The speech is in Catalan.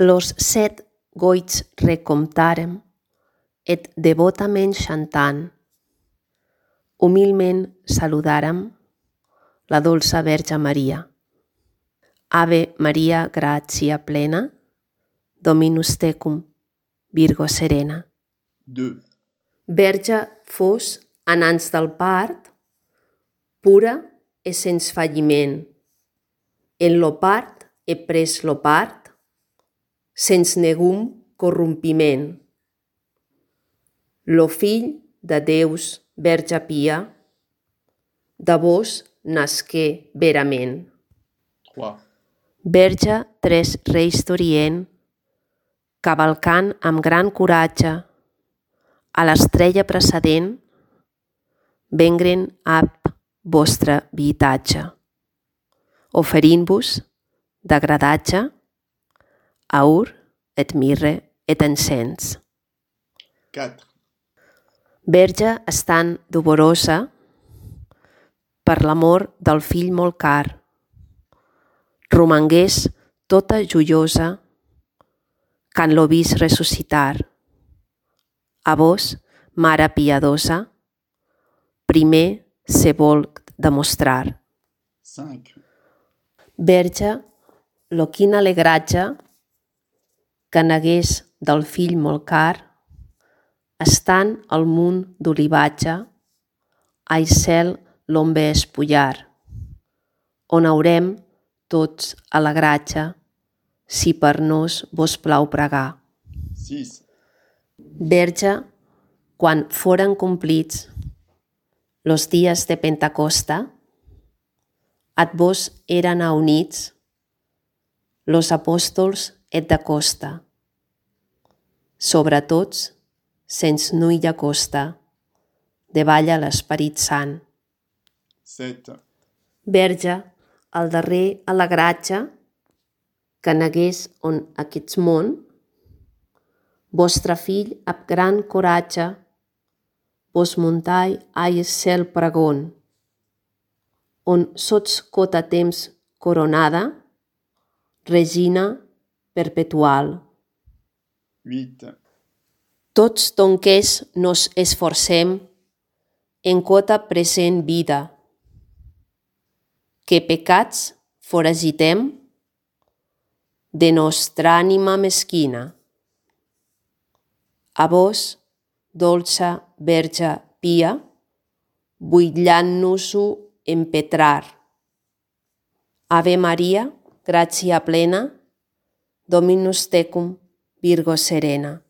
Los 7 goits recomptàrem, et devotament chantant, humilment saludàrem la dolça Verge Maria. Ave Maria, gratia plena, Dominus tecum, Virgo serena. 2. Verge fos anans del part, pura e sens falliment. En lo part he pres lo part, sens negum corrompiment. Lo fill de Deus, Verge pia, de vos nasqué verament. 3. Verge 3 reis d'Orient, cavalcant amb gran coratge, a l'estrella precedent, vengren ab vostre vitatge, oferint-vos d'agradatge, aur et mirre et encens. 4. Verge estant dolorosa, per l'amor del fill molt car, romangués tota joiosa, quan lo vis ressuscitar. A vos, mare piadosa, primer se vol demostrar. 5. Verge, lo quin alegratge que negués del fill molt car, estant al munt d'olivatge, ai cel l'on ve espullar, on haurem tots alegratge, si per nos vos plau pregar. 6. Verge, quan foren complits los dies de Pentecosta, at vos eren aunits los apòstols et de costa, sobre tots, sens nulla costa, davalla l'Esperit Sant. 7. Verge, el darrer alegratge que negués on aquest món, vostre fill amb gran coratge, vos muntai ai cel pregón, on sots cota temps coronada, regina perpetual. 8. Tots donques nos esforcem en quota present vida, que pecats foragitem de nostra ànima mesquina. A vos, dolça Verge pia, buidlant-nos-ho empetrar. Ave Maria, gratia plena, Dominus tecum, Virgo serena.